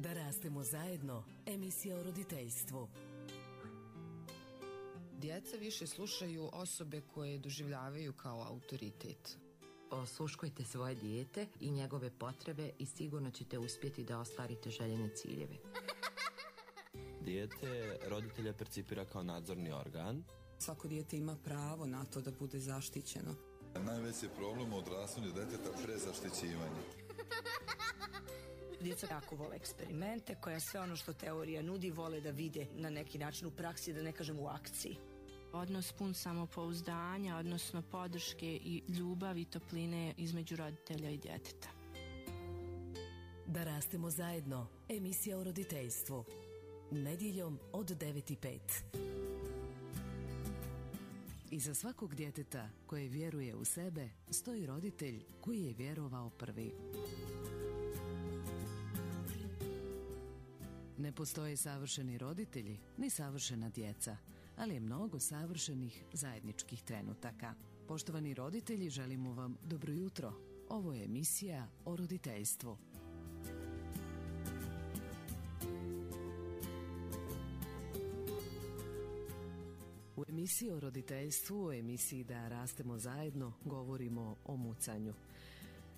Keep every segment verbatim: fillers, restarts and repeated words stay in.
Da rastemo zajedno, emisija o roditeljstvu. Djeca više slušaju osobe koje doživljavaju kao autoritet. Osluškujte svoje dijete i njegove potrebe i sigurno ćete uspjeti da ostvarite željene ciljeve. Dijete roditelja percipira kao nadzorni organ. Svako dijete ima pravo na to da bude zaštićeno. Najveći problem u odrastanju djeteta prezaštićivanje. Djeca jako vole eksperimente, koja sve ono što teorija nudi vole da vide na neki način u praksi, da ne kažem u akciji. Odnos pun samopouzdanja, odnosno podrške i ljubavi i topline između roditelja i djeteta. Da rastemo zajedno, emisija o roditeljstvu. Nedjeljom od devet i pet. Iza svakog djeteta koje vjeruje u sebe stoji roditelj koji je vjerovao prvi. Ne postoje savršeni roditelji ni savršena djeca, ali je mnogo savršenih zajedničkih trenutaka. Poštovani roditelji, želimo vam dobro jutro. Ovo je emisija o roditeljstvu. U emisiji o roditeljstvu, u emisiji Da rastemo zajedno, govorimo o mucanju.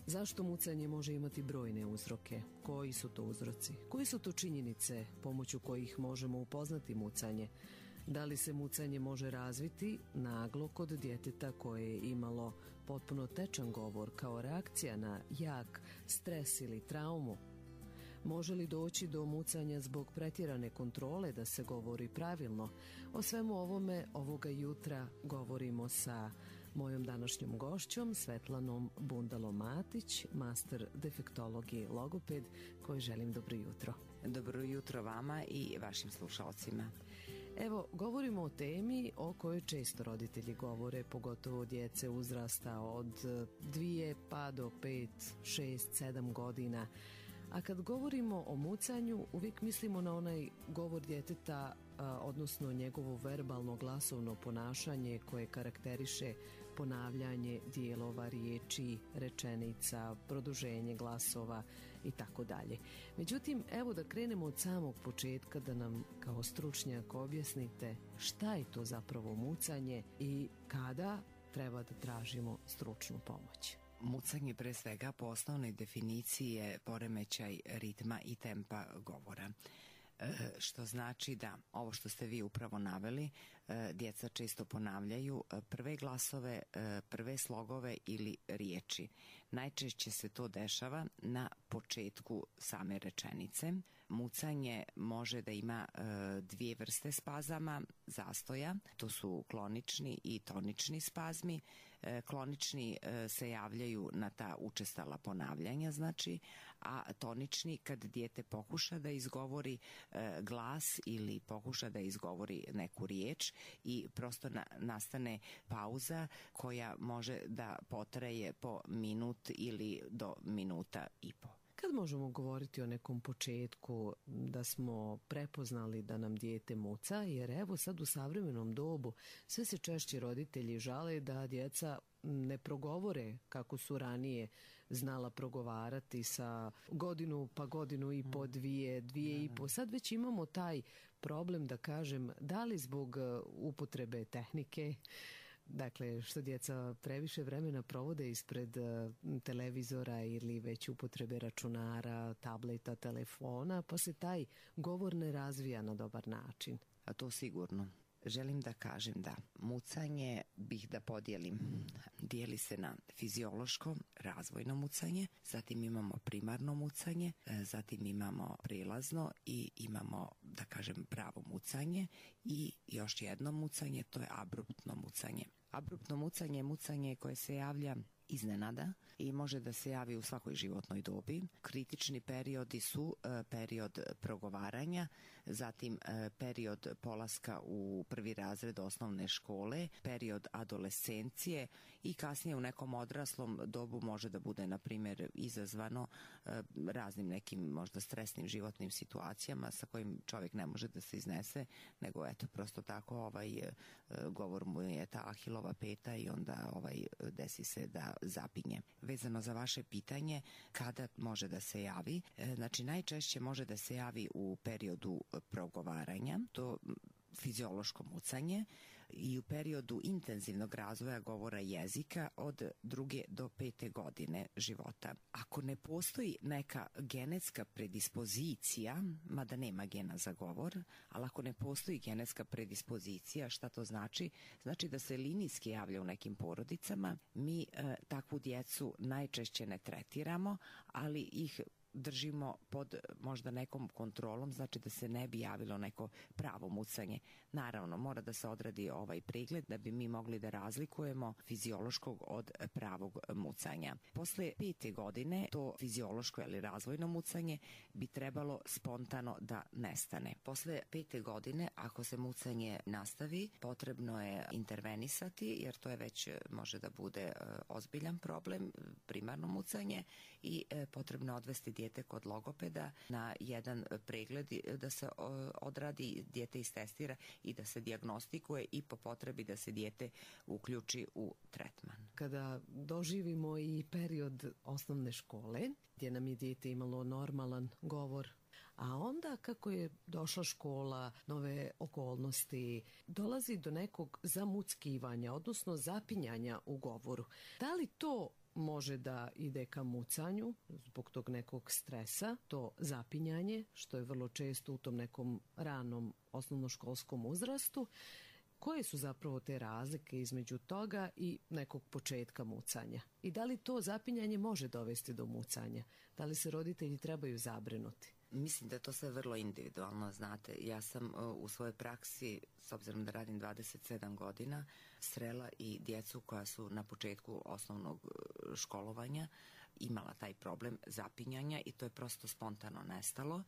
Zašto mucanje može imati brojne uzroke? Koji su to uzroci? Koji su to činjenice pomoću kojih možemo upoznati mucanje? Da li se mucanje može razviti naglo kod djeteta koje je imalo potpuno tečan govor kao reakcija na jak stres ili traumu? Može li doći do mucanja zbog pretjerane kontrole da se govori pravilno? O svemu ovome ovoga jutra govorimo sa mojom današnjom gošćom Svetlanom Bundalo-Matić, master defektologije logoped, koji želim dobro jutro. Dobro jutro vama i vašim slušalcima. Evo, govorimo o temi o kojoj često roditelji govore, pogotovo djece uzrasta od dvije pa do pet, šest, sedam godina. A kad govorimo o mucanju, uvijek mislimo na onaj govor djeteta, a, odnosno njegovo verbalno glasovno ponašanje koje karakteriše ponavljanje dijelova riječi, rečenica, produženje glasova i tako dalje. Međutim, evo da krenemo od samog početka, da nam kao stručnjak objasnite šta je to zapravo mucanje i kada treba da tražimo stručnu pomoć. Mucanje pre svega po osnovnoj definiciji je poremećaj ritma i tempa govora. E, što znači da ovo što ste vi upravo naveli, e, djeca često ponavljaju prve glasove, e, prve slogove ili riječi. Najčešće se to dešava na početku same rečenice. Mucanje može da ima e, dvije vrste spazama, zastoja, to su klonični i tonični spazmi. E, klonični e, se javljaju na ta učestala ponavljanja, znači, a tonični kad dijete pokuša da izgovori e, glas ili pokuša da izgovori neku riječ i prosto na, nastane pauza koja može da potraje po minut ili do minuta i po. Kad možemo govoriti o nekom početku da smo prepoznali da nam dijete muca, jer evo sad u savremenom dobu sve se češće roditelji žale da djeca ne progovore kako su ranije znala progovarati sa godinu pa godinu i po, dvije, dvije i po. Sad već imamo taj problem, da kažem, da li zbog upotrebe tehnike, dakle, što djeca previše vremena provode ispred uh, televizora ili već upotrebe računara, tableta, telefona, pa se taj govor ne razvija na dobar način. A to sigurno. Želim da kažem da mucanje bih da podijelim. Dijeli se na fiziološko, razvojno mucanje, zatim imamo primarno mucanje, zatim imamo prilazno i imamo, da kažem, pravo mucanje i još jedno mucanje, to je abruptno mucanje. Abruptno mucanje je mucanje koje se javlja iznenada i može da se javi u svakoj životnoj dobi. Kritični periodi su e, period progovaranja zatim e, period polaska u prvi razred osnovne škole, period adolescencije i kasnije u nekom odraslom dobu može da bude, na primjer, izazvano e, raznim nekim možda stresnim životnim situacijama sa kojim čovjek ne može da se iznese, nego eto, prosto tako ovaj e, govor mu je ta Ahilova peta i onda ovaj desi se da zapinje. Vezano za vaše pitanje, kada može da se javi? E, znači, najčešće može da se javi u periodu progovaranja, to fiziološko mucanje, i u periodu intenzivnog razvoja govora jezika od druge do pete godine života. Ako ne postoji neka genetska predispozicija, mada nema gena za govor, ali ako ne postoji genetska predispozicija, šta to znači? Znači da se linijski javlja u nekim porodicama. Mi e, takvu djecu najčešće ne tretiramo, ali ih držimo pod možda nekom kontrolom, znači da se ne bi javilo neko pravo mucanje. Naravno, mora da se odradi ovaj pregled da bi mi mogli da razlikujemo fiziološkog od pravog mucanja. Posle pete godine to fiziološko ili razvojno mucanje bi trebalo spontano da nestane. Posle pete godine, ako se mucanje nastavi, potrebno je intervenisati, jer to je već može da bude ozbiljan problem, primarno mucanje, i potrebno je odvesti dijete kod logopeda na jedan pregled da se odradi, dijete istestira i da se dijagnostikuje i po potrebi da se dijete uključi u tretman. Kada doživimo i period osnovne škole, gdje nam je dijete imalo normalan govor, a onda kako je došla škola, nove okolnosti, dolazi do nekog zamuckivanja, odnosno zapinjanja u govoru. Da li to može da ide ka mucanju zbog tog nekog stresa, to zapinjanje, što je vrlo često u tom nekom ranom osnovnoškolskom uzrastu? Koje su zapravo te razlike između toga i nekog početka mucanja? I da li to zapinjanje može dovesti do mucanja? Da li se roditelji trebaju zabrinuti? Mislim da je to sve vrlo individualno, znate. Ja sam u svojoj praksi, s obzirom da radim dvadeset sedam godina, srela i djecu koja su na početku osnovnog školovanja imala taj problem zapinjanja i to je prosto spontano nestalo.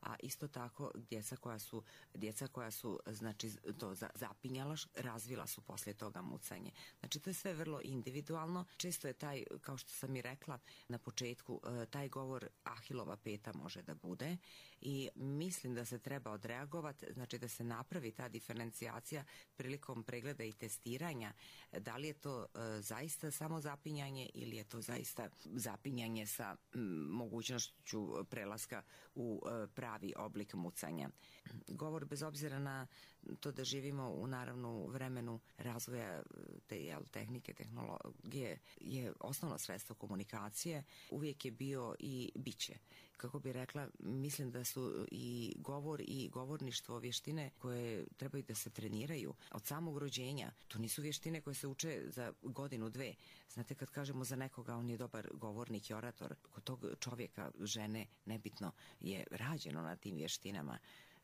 A isto tako djeca koja su, djeca koja su znači, to zapinjala, razvila su poslije toga mucanje. Znači to je sve vrlo individualno. Često je taj, kao što sam i rekla na početku, taj govor Ahilova peta može da bude i mislim da se treba odreagovati, znači da se napravi ta diferencijacija prilikom pregleda i testiranja. Da li je to uh, zaista samo zapinjanje ili je to zaista zapinjanje sa m, mogućnošću prelaska u uh, pravi oblik mucanja. Govor, bez obzira na to da živimo u naravno vremenu razvoja te jel, tehnike, tehnologije, je osnovno sredstvo komunikacije, uvijek je bio i biće. Kako bi rekla, mislim da su i govor i govorništvo vještine koje trebaju da se treniraju od samog rođenja. To nisu vještine koje se uče za godinu, dve. Znate, kad kažemo za nekoga on je dobar govornik i orator, kod tog čovjeka, žene, nebitno, je rađeno na tim vještinama.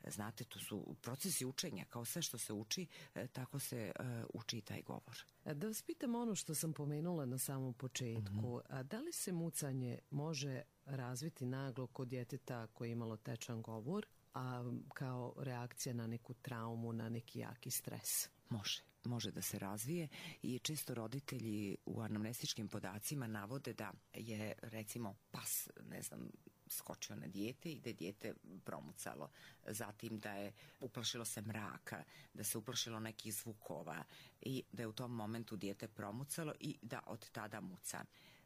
Znate, to su procesi učenja, kao sve što se uči, tako se uh, uči i taj govor. Da vas pitam ono što sam pomenula na samom početku, mm-hmm. a da li se mucanje može razviti naglo kod djeteta koje je imalo tečan govor, a kao reakcija na neku traumu, na neki jaki stres? Može. Može da se razvije i često roditelji u anamnestičkim podacima navode da je, recimo, pas, ne znam, skočio na dijete i da je dijete promucalo. Zatim da je uplašilo se mraka, da se uplašilo nekih zvukova i da je u tom momentu dijete promucalo i da od tada muca.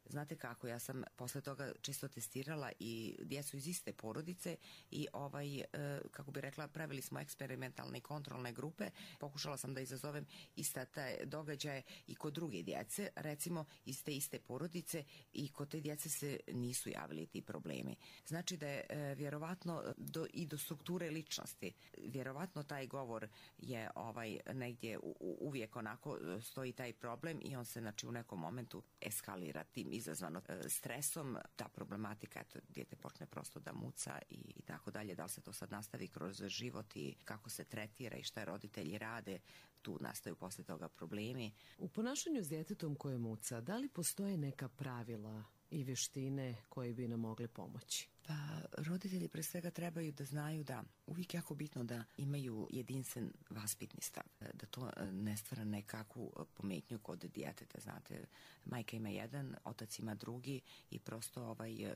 Znate kako, ja sam posle toga često testirala i djecu iz iste porodice i ovaj, e, kako bi rekla, pravili smo eksperimentalne i kontrolne grupe, pokušala sam da izazovem ista te događaje i kod druge djece, recimo iz te iste porodice, i kod te djece se nisu javili ti problemi. Znači da je e, vjerovatno do, i do strukture ličnosti, vjerovatno taj govor je ovaj negdje u, u, uvijek onako stoji taj problem i on se znači u nekom momentu eskalira tim izazvano e, stresom, ta problematika, eto, dijete počne prosto da muca i, i tako dalje. Da li se to sad nastavi kroz život i kako se tretira i šta roditelji rade, tu nastaju posle toga problemi. U ponašanju s djetetom koje muca, da li postoje neka pravila i vještine koje bi nam mogle pomoći? Pa roditelji pre svega trebaju da znaju da uvijek jako bitno da imaju jedinstven vaspitni stav, da to ne stvara nekakvu pometnju kod djeteta, znate, majka ima jedan, otac ima drugi i prosto ovaj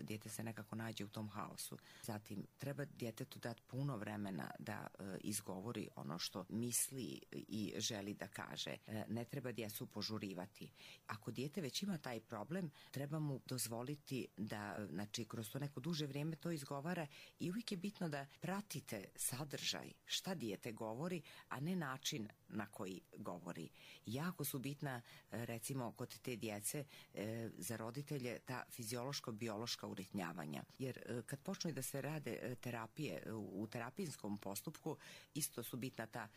dijete se nekako nađe u tom haosu. Zatim treba djetetu dati puno vremena da izgovori ono što misli i želi da kaže. Ne treba djecu požurivati. Ako dijete već ima taj problem, treba mu dozvoliti da, znači, kroz to neko duže vrijeme to izgovara i uvijek je bitno da pratite sadržaj, šta dijete govori, a ne način na koji govori. Jako su bitna, recimo, kod te djece za roditelje ta fiziološko-biološka uritnjavanja. Jer kad počnu da se rade terapije u terapijskom postupku, isto su bitna ta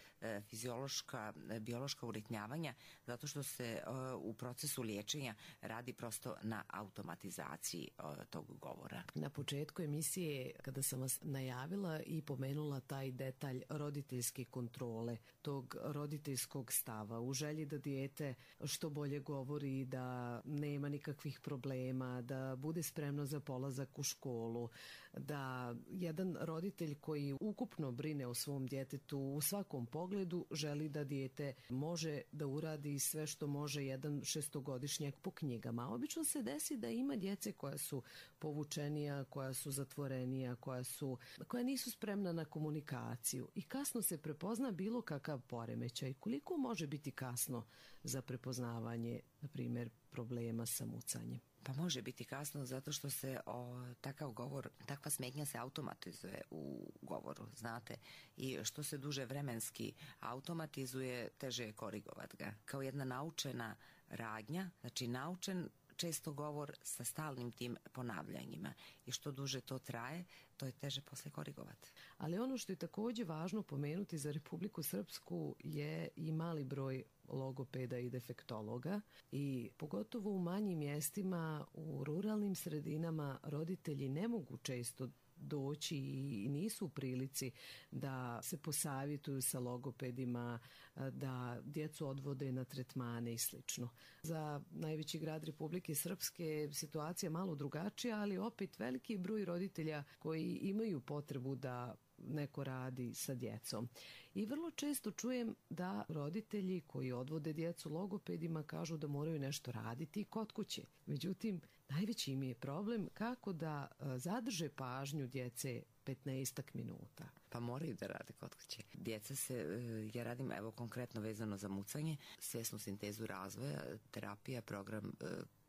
fiziološka, biološka uritnjavanja, zato što se u procesu liječenja radi prosto na automatizaciji tog govora. Na početku emisije, kada sam vas najavila i pomenula taj detalj roditeljske kontrole, tog roditeljskog stava, u želji da dijete što bolje govori, da nema nikakvih problema, da bude spremno za polazak u školu, da jedan roditelj koji ukupno brine o svom djetetu u svakom pogledu želi da dijete može da uradi sve što može jedan šestogodišnjak po knjigama. Obično se desi da ima djece koja su povučenija, koja su zatvorenija, koja su, koja nisu spremna na komunikaciju i kasno se prepozna bilo kakav poremećaj. Koliko može biti kasno za prepoznavanje, na primjer, problema sa mucanjem? Pa može biti kasno zato što se o, takav govor, takva smetnja se automatizuje u govoru, znate, i što se duže vremenski automatizuje, teže je korigovat ga. Kao jedna naučena radnja, znači naučen često govor sa stalnim tim ponavljanjima i što duže to traje, to je teže posle korigovati. Ali ono što je također važno pomenuti za Republiku Srpsku je i mali broj logopeda i defektologa i pogotovo u manjim mjestima, u ruralnim sredinama roditelji ne mogu često doći i nisu u prilici da se posavjetuju sa logopedima, da djecu odvode na tretmane i slično. Za najveći grad Republike Srpske situacija malo drugačija, ali opet veliki broj roditelja koji imaju potrebu da neko radi sa djecom. I vrlo često čujem da roditelji koji odvode djecu logopedima kažu da moraju nešto raditi kod kuće. Međutim, najveći im je problem kako da zadrže pažnju djece petnaestak minuta. Pa moraju da rade kod kuće. Djeca se, ja radim evo konkretno vezano za mucanje, svjesnu sintezu razvoja, terapija, program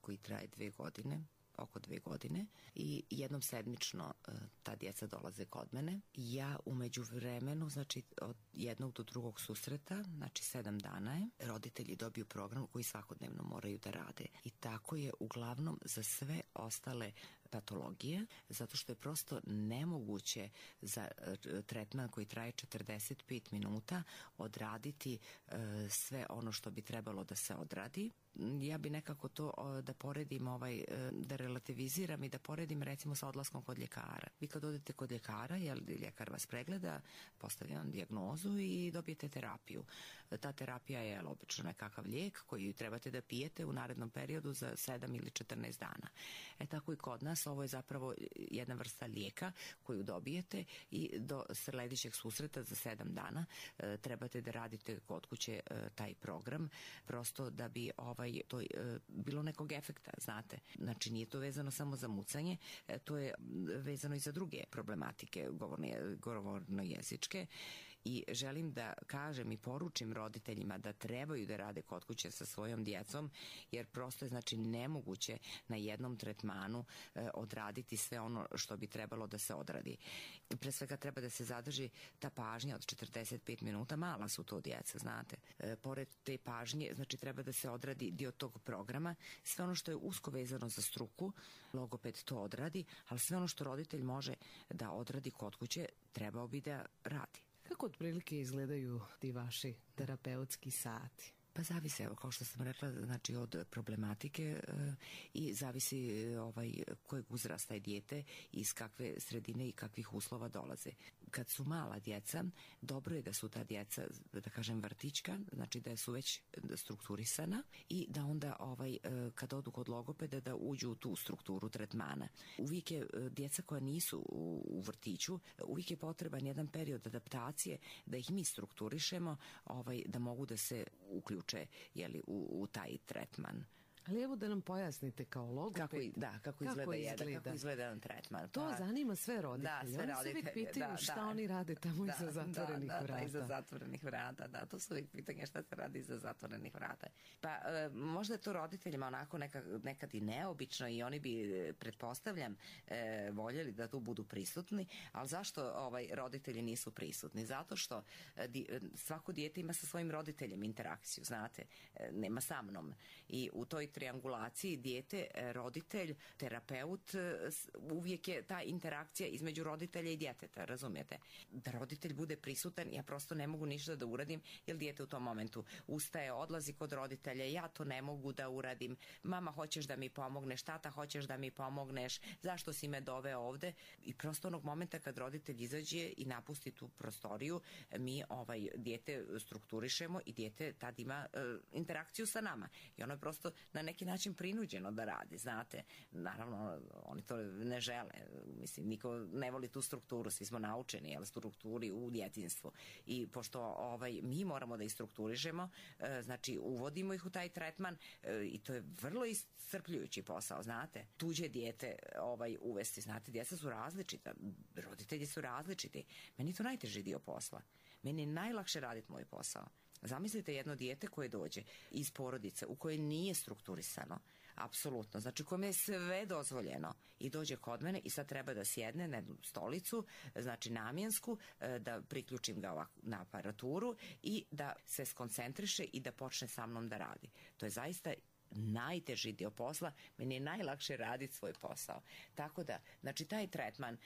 koji traje dve godine, oko dve godine i jednom sedmično uh, ta djeca dolaze kod mene. Ja u međuvremenu, znači od jednog do drugog susreta, znači sedam dana je, roditelji dobiju program koji svakodnevno moraju da rade. I tako je uglavnom za sve ostale patologije, zato što je prosto nemoguće za uh, tretman koji traje četrdeset pet minuta odraditi uh, sve ono što bi trebalo da se odradi. Ja bi nekako to uh, da poredim, ovaj, uh, da relativiziram i da poredim recimo sa odlaskom kod ljekara. Vi kad odete kod ljekara, jel, ljekar vas pregleda, postavlja vam dijagnozu i dobijete terapiju. Ta terapija je obično nekakav lijek koji trebate da pijete u narednom periodu za sedam ili četrnaest dana. E tako i kod nas ovo je zapravo jedna vrsta lijeka koju dobijete i do sljedećeg susreta za sedam dana e, trebate da radite kod kuće e, taj program, prosto da bi ovaj, to e, bilo nekog efekta, znate. Znači nije to vezano samo za mucanje, e, to je vezano i za druge problematike govorne, govorno jezičke. I želim da kažem i poručim roditeljima da trebaju da rade kod kuće sa svojom djecom, jer prosto je znači nemoguće na jednom tretmanu e, odraditi sve ono što bi trebalo da se odradi. Pre svega treba da se zadrži ta pažnja od četrdeset pet minuta, mala su to djeca, znate. E, pored te pažnje, znači treba da se odradi dio tog programa, sve ono što je usko vezano za struku, logoped to odradi, ali sve ono što roditelj može da odradi kod kuće, trebao bi da radi. Kako otprilike izgledaju ti vaši terapeutski sati? Pa zavisi, evo, kao što sam rekla, znači od problematike e, i zavisi ovaj, kojeg uzrasta je dijete i iz kakve sredine i kakvih uslova dolaze. Kad su mala djeca, dobro je da su ta djeca, da kažem, vrtićka, znači da su već strukturisana i da onda ovaj, e, kad odu kod logopeda da uđu u tu strukturu tretmana. Uvijek je djeca koja nisu u, u vrtiću, uvijek je potreban jedan period adaptacije da ih mi strukturišemo, ovaj, da mogu da se uključe jeli, u, u taj tretman. Ali evo da nam pojasnite kao logoped. Kako, da, kako, kako izgleda, izgleda? Jedan, kako izgleda jedan tretman. To pa, zanima sve roditelje. Da, sve oni roditelje. se uvijek pitaju da, šta da, oni rade tamo da, iza zatvorenih da, da, vrata. Da, iza zatvorenih vrata, da. To su uvijek pitanje šta se radi iza zatvorenih vrata. Pa e, možda je to roditeljima onako neka, nekad i neobično i oni bi, pretpostavljam, e, voljeli da tu budu prisutni, ali zašto ovaj, roditelji nisu prisutni? Zato što e, di, svako dijete ima sa svojim roditeljem interakciju, znate, e, nema sa mnom. I u toj triangulaciji dijete, roditelj, terapeut, uvijek je ta interakcija između roditelja i djeteta, razumijete? Da roditelj bude prisutan, ja prosto ne mogu ništa da uradim, jer dijete u tom momentu ustaje, odlazi kod roditelja, ja to ne mogu da uradim, mama hoćeš da mi pomogneš, tata hoćeš da mi pomogneš, zašto si me doveo ovde? I prosto onog momenta kad roditelj izađe i napusti tu prostoriju, mi ovaj dijete strukturišemo i dijete tad ima e, interakciju sa nama. I ono je prosto na neki način prinuđeno da radi, znate. Naravno, oni to ne žele. Mislim, niko ne voli tu strukturu, svi smo naučeni, jel, strukturi u djetinjstvu. I pošto ovaj, mi moramo da ih strukturišemo, e, znači uvodimo ih u taj tretman e, i to je vrlo iscrpljujući posao, znate. Tuđe dijete ovaj, uvesti, znate, djeca su različita, roditelji su različiti. Meni je to najteži dio posla. Meni je najlakše raditi moj posao. Zamislite jedno dijete koje dođe iz porodice u kojoj nije strukturisano, apsolutno, znači kome je sve dozvoljeno i dođe kod mene i sad treba da sjedne na jednu stolicu, znači namjensku, da priključim ga ovako na aparaturu i da se skoncentriše i da počne sa mnom da radi. To je zaista najteži dio posla, meni je najlakše raditi svoj posao. Tako da, znači taj tretman,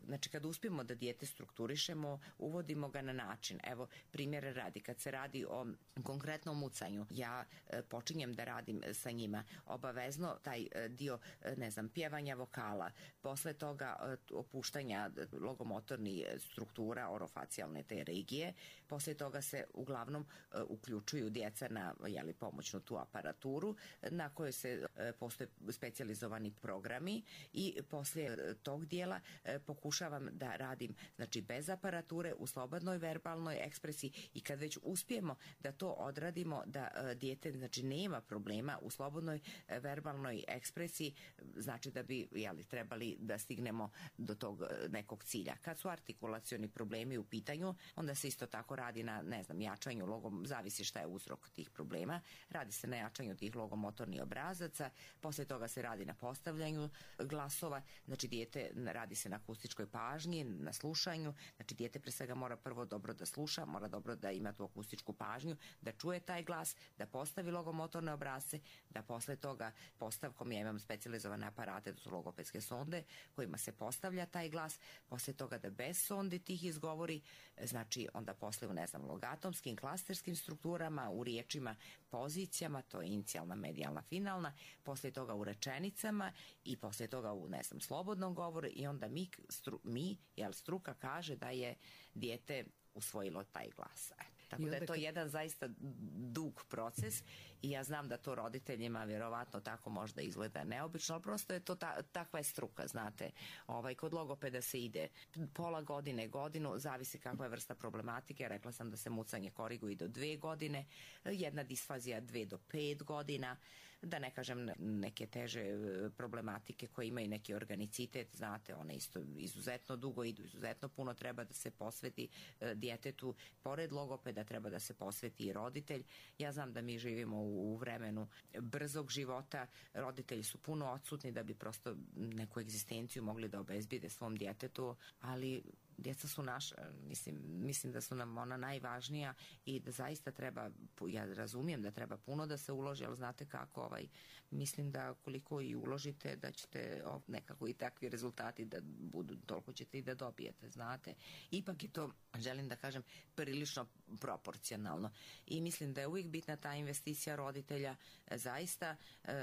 znači kad uspijemo da dijete strukturišemo, uvodimo ga na način, evo primjer radi, kad se radi o konkretnom mucanju, ja počinjem da radim sa njima, obavezno taj dio, ne znam, pjevanja vokala, posle toga opuštanja logomotornih struktura, orofacijalne te regije, posle toga se uglavnom uključuju djeca na, jeli, pomoćnu tu aparaturu, na kojoj se e, postoje specijalizovani programi i poslije tog dijela e, pokušavam da radim, znači bez aparature, u slobodnoj verbalnoj ekspresiji i kad već uspijemo da to odradimo, da e, dijete, znači, nema problema u slobodnoj e, verbalnoj ekspresiji, znači da bi, jeli, trebali da stignemo do tog e, nekog cilja. Kad su artikulacioni problemi u pitanju, onda se isto tako radi na, ne znam, jačanju logom, zavisi šta je uzrok tih problema, radi se na jačanju tih logomotornih obrazaca, poslije toga se radi na postavljanju glasova, znači dijete, radi se na akustičkoj pažnji, na slušanju, znači dijete pre svega mora prvo dobro da sluša, mora dobro da ima tu akustičku pažnju, da čuje taj glas, da postavi logomotorne obrazce, da posle toga postavkom, ja imam specijalizovane aparate, to su logopedske sonde, kojima se postavlja taj glas, posle toga da bez sonde tih izgovori, znači onda posle u, ne znam, logatomskim, klasterskim strukturama, u riječima, pozicijama, to je inicijalna, medijalna, finalna, poslije toga u rečenicama i poslije toga u, ne znam, slobodnom govoru i onda mi, stru, mi jel, struka kaže da je dijete usvojilo taj glas. E, tako da je to jedan zaista dug proces i ja znam da to roditeljima vjerovatno tako možda izgleda neobično, ali prosto je to ta, takva je struka, znate. Ovaj, kod logopeda se ide pola godine, godinu, zavisi kakva je vrsta problematike. Rekla sam da se mucanje koriguje do dve godine, jedna disfazija dve do pet godina, da ne kažem neke teže problematike koje imaju neki organicitet, znate, one isto izuzetno dugo idu, izuzetno puno treba da se posveti e, djetetu, pored logopeda treba da se posveti i roditelj. Ja znam da mi živimo u, u vremenu brzog života, roditelji su puno odsutni da bi prosto neku egzistenciju mogli da obezbide svom djetetu, ali djeca su naša, mislim, mislim da su nam ona najvažnija i da zaista treba, ja razumijem da treba puno da se uloži, ali znate kako, ovaj, mislim da koliko i uložite da ćete o, nekako i takvi rezultati da budu, toliko ćete i da dobijete, znate. Ipak je to, želim da kažem, prilično proporcionalno i mislim da je uvijek bitna ta investicija roditelja, zaista,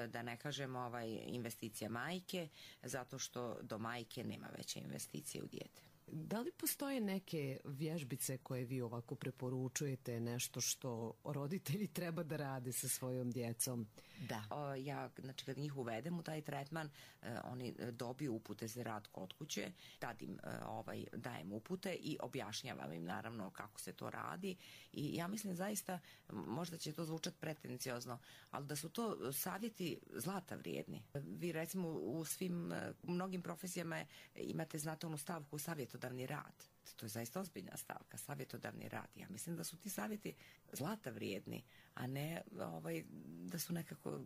da ne kažem ovaj, investicija majke, zato što do majke nema veće investicije u dijete. Da li postoje neke vježbice koje vi ovako preporučujete, nešto što roditelji treba da rade sa svojom djecom? Da. O, ja, znači, kad njih uvedem u taj tretman, e, oni dobiju upute za rad kod kuće, tad im e, ovaj, dajem upute i objašnjavam im naravno kako se to radi i ja mislim zaista, možda će to zvučati pretenciozno, ali da su to savjeti zlata vrijedni. Vi recimo u svim, u mnogim profesijama imate, znate, onu stavku savjetodavni rad. To je zaista ozbiljna stavka, savjetodavni rad. Ja mislim da su ti savjeti zlata vrijedni, a ne ovaj, da su nekako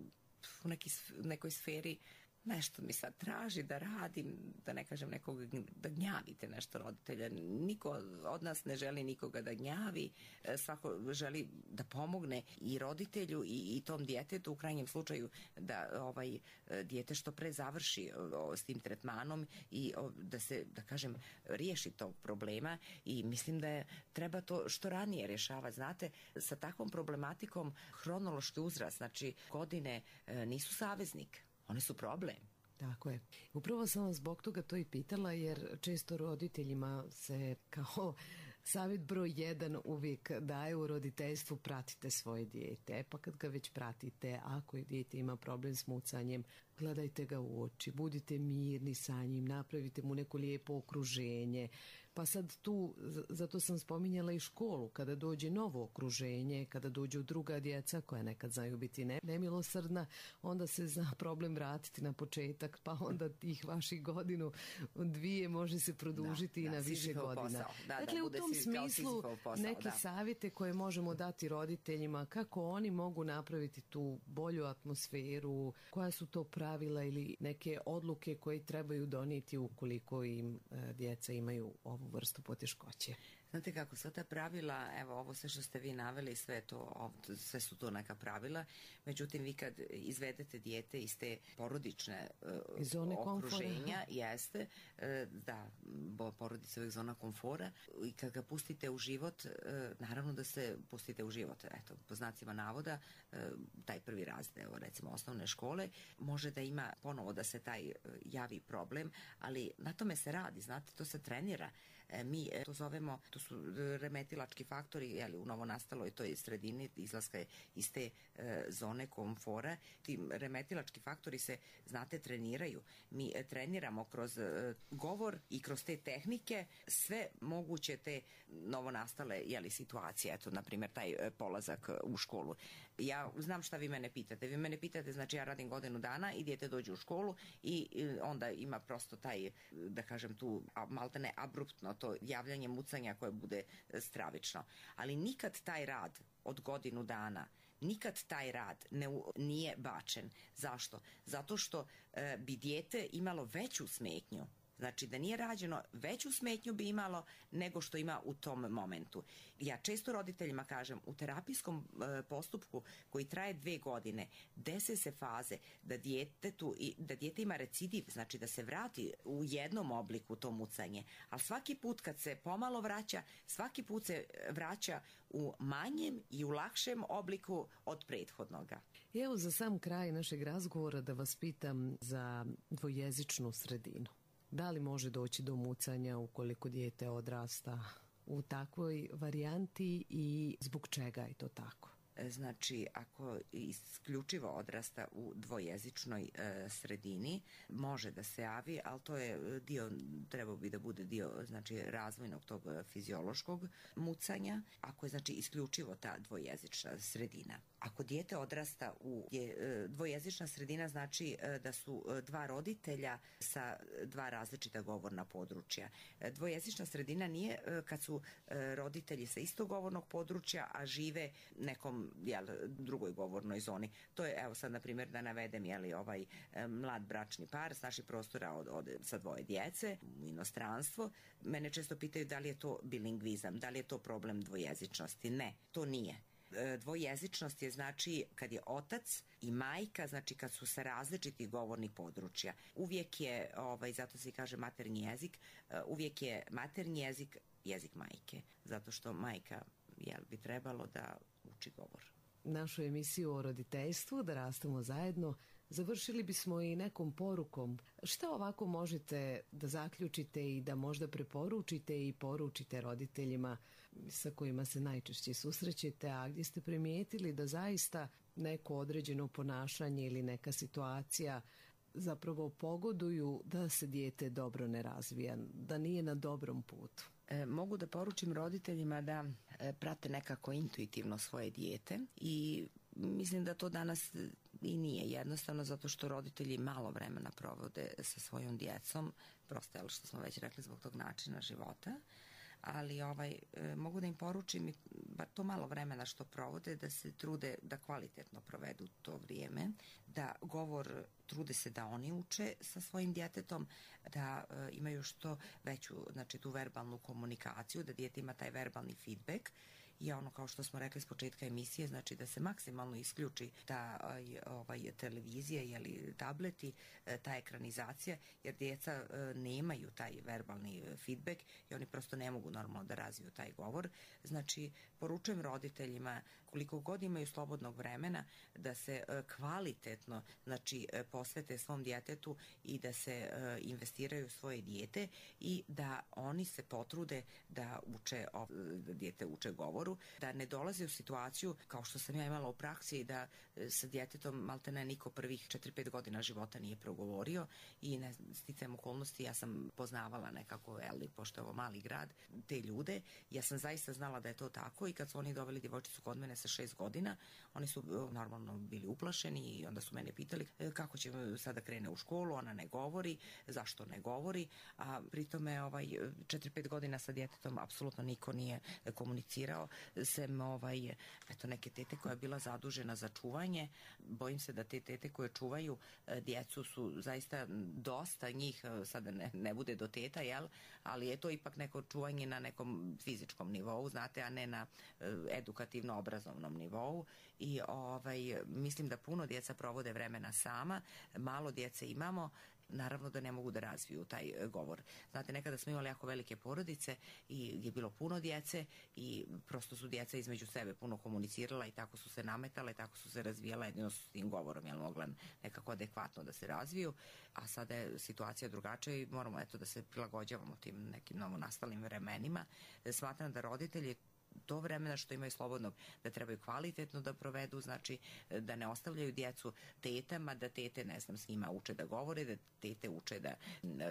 u neki, nekoj sferi nešto mi sad traži da radim, da ne kažem nekog, da gnjavite nešto roditelja. Niko od nas ne želi nikoga da gnjavi, svako želi da pomogne i roditelju i, i tom djetetu, u krajnjem slučaju da ovaj dijete što pre završi o, s tim tretmanom i o, da se, da kažem, riješi tog problema i mislim da je, treba to što ranije rješavati. Znate, sa takvom problematikom hronološki uzrast, znači godine e, nisu saveznik. Oni su problem. Tako je. Upravo sam vas zbog toga to i pitala, jer često roditeljima se kao savjet broj jedan uvijek daje u roditeljstvu: pratite svoje dijete. E pa kad ga već pratite, ako je dijete ima problem s mucanjem, gledajte ga u oči, budite mirni sa njim, napravite mu neko lijepo okruženje. Pa sad tu, zato sam spominjala i školu, kada dođe novo okruženje, kada dođu druga djeca koja nekad znaju biti ne, nemilosrdna, onda se zna problem vratiti na početak, pa onda tih vaših godinu, dvije može se produžiti da, i na da, više godina. Da, dakle, da, u tom smislu posao, neke da. savjete koje možemo dati roditeljima, kako oni mogu napraviti tu bolju atmosferu, koja su to pravila ili neke odluke koje trebaju donijeti ukoliko im e, djeca imaju ovu vrstu poteškoće. Znate kako, sva ta pravila, evo ovo sve što ste vi naveli, sve, to, sve su to neka pravila, međutim vi kad izvedete dijete iz te porodične uh, okruženja, jeste, uh, da, bo porodica je uvijek zona komfora, i kad ga pustite u život, uh, naravno da se pustite u život, eto, po znacima navoda, uh, taj prvi razred, evo recimo osnovne škole, može da ima ponovo da se taj uh, javi problem, ali na tome se radi, znate, to se trenira. Mi to zovemo, to su remetilački faktori, jeli, u novonastaloj toj sredini, izlaska je iz te e, zone komfora. Ti remetilački faktori se, znate, treniraju. Mi e, treniramo kroz e, govor i kroz te tehnike sve moguće te novonastale, jeli, situacije. Eto, na primjer, taj e, polazak u školu. Ja znam šta vi mene pitate. Vi mene pitate, znači ja radim godinu dana i dijete dođe u školu i, i onda ima prosto taj, da kažem tu, maltene abruptno to javljanje mucanja koje bude stravično. Ali nikad taj rad od godinu dana, nikad taj rad ne, nije bačen. Zašto? Zato što e, bi dijete imalo veću smetnju. Znači da nije rađeno, veću smetnju bi imalo nego što ima u tom momentu. Ja često roditeljima kažem, u terapijskom e, postupku koji traje dve godine, dese se faze da djetetu, da dijete ima recidiv, znači da se vrati u jednom obliku to mucanje, ali svaki put kad se pomalo vraća, svaki put se vraća u manjem i u lakšem obliku od prethodnoga. Evo za sam kraj našeg razgovora da vas pitam za dvojezičnu sredinu. Da li može doći do mucanja ukoliko dijete odrasta u takvoj varijanti i zbog čega je to tako? Znači, ako isključivo odrasta u dvojezičnoj e, sredini, može da se javi, ali to je dio, trebao bi da bude dio, znači, razvojnog tog fiziološkog mucanja, ako je, znači, isključivo ta dvojezična sredina. Ako dijete odrasta u je, dvojezična sredina, znači da su dva roditelja sa dva različita govorna područja. Dvojezična sredina nije kad su roditelji sa istog govornog područja, a žive nekom, jel, drugoj govornoj zoni. To je, evo sad na primjer da navedem, jeli, ovaj mlad bračni par s naših prostora od, od, sa dvoje djece u inostranstvo. Mene često pitaju da li je to bilingvizam, da li je to problem dvojezičnosti. Ne, to nije. Dvojezičnost je, znači, kad je otac i majka, znači kad su sa različitih govornih područja. Uvijek je, ovaj, zato se kaže maternji jezik, uvijek je maternji jezik jezik majke, zato što majka, jel, bi trebalo da uči govor. našu emisiju o roditeljstvu, da rastemo zajedno, završili bismo i nekom porukom. Šta ovako možete da zaključite i da možda preporučite i poručite roditeljima sa kojima se najčešće susrećete, a gdje ste primijetili da zaista neko određeno ponašanje ili neka situacija zapravo pogoduju da se dijete dobro ne razvija, da nije na dobrom putu? E, mogu da poručim roditeljima da e, prate nekako intuitivno svoje dijete i mislim da to danas i nije jednostavno, zato što roditelji malo vremena provode sa svojom djecom, prosto je što smo već rekli zbog tog načina života, ali ovaj, e, mogu da im poručim bar to malo vremena što provode da se trude da kvalitetno provedu to vrijeme, da govor trude se da oni uče sa svojim djetetom, da e, imaju što veću, znači tu verbalnu komunikaciju, da dijete ima taj verbalni feedback i ono kao što smo rekli s početka emisije, znači da se maksimalno isključi ta ovaj, televizija ili tableti, ta ekranizacija, jer djeca nemaju taj verbalni feedback i oni prosto ne mogu normalno da razviju taj govor. Znači, poručujem roditeljima koliko god imaju slobodnog vremena da se kvalitetno, znači, posvete svom djetetu i da se investiraju u svoje dijete i da oni se potrude da uče, da dijete uče govoru, da ne dolaze u situaciju kao što sam ja imala u praksi da sa djetetom maltene niko prvih četiri pet godina života nije progovorio i ne, sticajem okolnosti ja sam poznavala nekako, eli, pošto je ovo mali grad, te ljude, ja sam zaista znala da je to tako i kad su oni doveli djevojčicu kod mene sa šest godina, oni su normalno bili uplašeni i onda su mene pitali kako će sada krene u školu, ona ne govori, zašto ne govori, a pritome ovaj, četiri pet godina sa djetetom apsolutno niko nije komunicirao, sem ovaj, eto, neke tete koja je bila zadužena za čuvanje. Bojim se da te tete koje čuvaju djecu su zaista dosta njih, sada ne, ne bude do teta, jel? Ali je to ipak neko čuvanje na nekom fizičkom nivou, znate, a ne na edukativno-obrazovnom nivou i ovaj, mislim da puno djeca provode vremena sama, malo djece imamo, naravno da ne mogu da razviju taj govor. Znate, nekada smo imali jako velike porodice i je bilo puno djece i prosto su djeca između sebe puno komunicirala i tako su se nametale, tako su se razvijala jedino s tim govorom, jel mogla nekako adekvatno da se razviju, a sada je situacija drugačija i moramo eto da se prilagođavamo tim nekim novonastalim vremenima. Smatram da roditelji to vremena što imaju slobodnog da trebaju kvalitetno da provedu, znači da ne ostavljaju djecu tetama, da tete, ne znam, s njima uče da govore, da tete uče da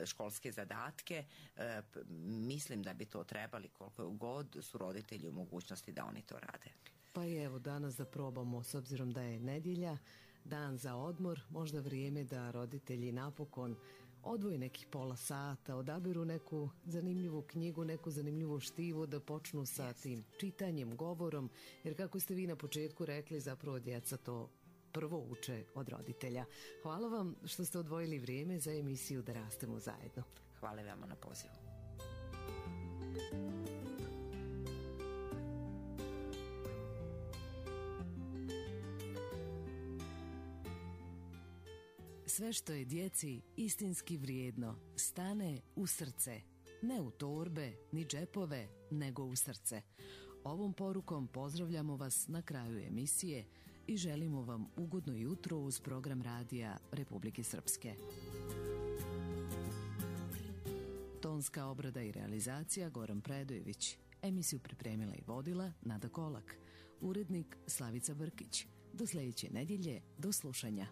školske zadatke. E, mislim da bi to trebali koliko god su roditelji u mogućnosti da oni to rade. Pa i evo danas da probamo, s obzirom da je nedjelja, dan za odmor, možda vrijeme da roditelji napokon odvoji nekih pola sata, odabiru neku zanimljivu knjigu, neku zanimljivu štivu, da počnu sa yes. tim čitanjem, govorom, jer kako ste vi na početku rekli, zapravo djeca to prvo uče od roditelja. Hvala vam što ste odvojili vrijeme za emisiju Da rastemo zajedno. Hvala vam na pozivu. Sve što je djeci istinski vrijedno stane u srce, ne u torbe ni džepove, nego u srce. Ovom porukom pozdravljamo vas na kraju emisije i želimo vam ugodno jutro uz program radija Republike Srpske. Tonska obrada i realizacija Goran Predojević. Emisiju pripremila i vodila Nada Kolak. Urednik Slavica Brkić. Do sljedeće nedjelje, do slušanja.